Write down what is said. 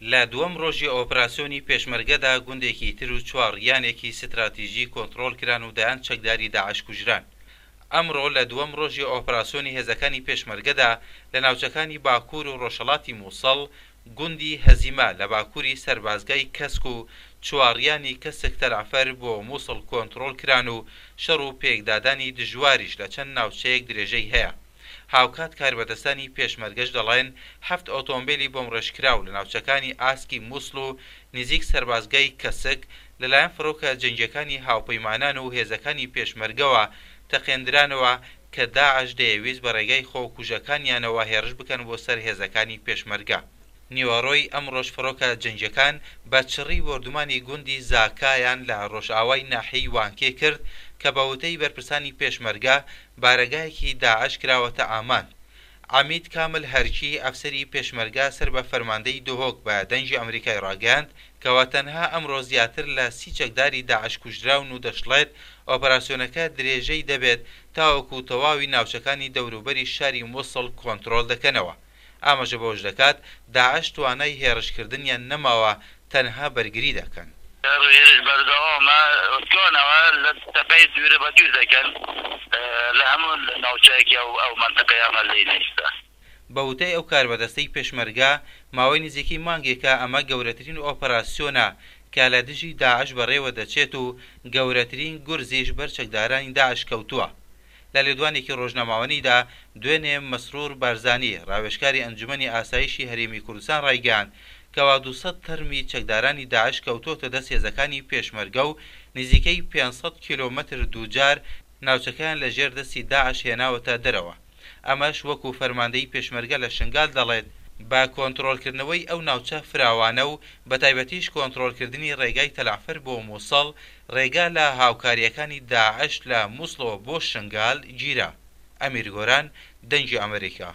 لە دووەم ڕۆژی ئۆپراسیۆنی پێشمەرگەدا گوندێکی تر و چواڕیانێکی ستراتیژی کۆنتڕۆڵ کران و دەیان چەکداری داعش کوژران. ئەمڕۆ لە دووەم ڕۆژی ئۆپراسیۆنی هێزەکانی پێشمەرگەدا لە ناوچەکانی باکوور و ڕۆژهەڵاتی مووسڵ، گوندی هەزیمە لە باکووری سەربازگای کەسک و چواڕیانی کەسک تەلەعفەر بۆ مووسڵ کۆنتڕۆڵ کران و شەڕ و پێکدادانی دژواریش لە چەند ناوچەیەک درێژەی هەیە. هاوکات کاربەدەستانی پێشمەرگەش دەڵێن حەفت ئۆتۆمبێلی بۆمڕێژکراو لە ناوچەکانی ئاسکی موسڵ و نزیک سەربازگای کەسک لەلایەن فڕۆکە جەنگیەکانی هاوپەیمانان و هێزەکانی پێشمەرگەوە تەقێندرانەوە کە داعش دەیەویست بە ڕێگای خۆکوژەکانیانەوە هێڕش بکەن بۆ سەر هێزەکانی پێشمەرگە. نیوەڕۆی ئەمڕۆش فڕۆکە جەنگیەکان بە چڕی بۆردومانی گوندی زاکایان لە ڕۆژئاوای ناحیەی وانکێ کرد کە بە وتەی بەرپرسانی پێشمەرگە بارەگایەکی داعش کراوەتە ئامانج. عەمید کامل هەرکی، ئەفسەری پێشمەرگە سەر بە فەرماندەی دهۆک بە دەنگی ئەمریکای ڕاگەیاند کەوا تەنها ئەمڕۆ زیاتر لە 30 چەکداری داعش کوژراون و دەشڵێت ئۆپەراسیۆنەکە درێژەی دەبێت تاوەکو تەواوی ناوچەکانی دەوروبەری شاری موسڵ کۆنترۆڵ دەکەنەوە. ئاماژە بەوەش دەکات، داعش توانای هێڕشکردنیان نەماوە تەنها بەرگری دەکەن. شەڕ و هێرش بەردەوامە، تکانەوە لە تەپەی دوورە بە دوور دەکەن لە هەموو ناوچەیەکی ئەو ئەو مەنتقەی ئەمە لێی نەیستە. بە وتەی ئەو کاربەدەستەی پێشمەرگە، ماوەی نزیکەی مانگێکە ئەمە گەورەترین ئۆپەراسیۆنە کە لە دژی داعش بەڕێوە دەچێت و گەورەترین گورزیش بەر چەکدارانی داعش کەوتووە. لە لێدوانێکی ڕۆژنامەوانیدا دوێنێ مەسرور بارزانی، ڕاوێژکاری ئەنجومەنی ئاسایشی هەرێمی کوردستان ڕایگەیاند کەوا 200 تەرمی چەکدارانی داعش کەوتۆتە دەست هێزەکانی پێشمەرگە و نزیکەی 500 کیلۆمەتر دووجار ناوچەکەیان لە ژێر دەستی داعش هێناوەتە دەرەوە. ئەمەش وەکو فەرماندەیی پێشمەرگە لە شنگال دەڵێت، بە کۆنتڕۆڵکردنەوەی ئەو ناوچە فراوانە و بەتایبەتیش کۆنتڕۆڵکردنی ڕێگای تەلەعفەر بۆ موسڵ، ڕێگا لە هاوکارییەکانی داعش لە موسڵەوە بۆ شنگال گیرا. ئەمیر گۆران، دەنگی ئەمریکا.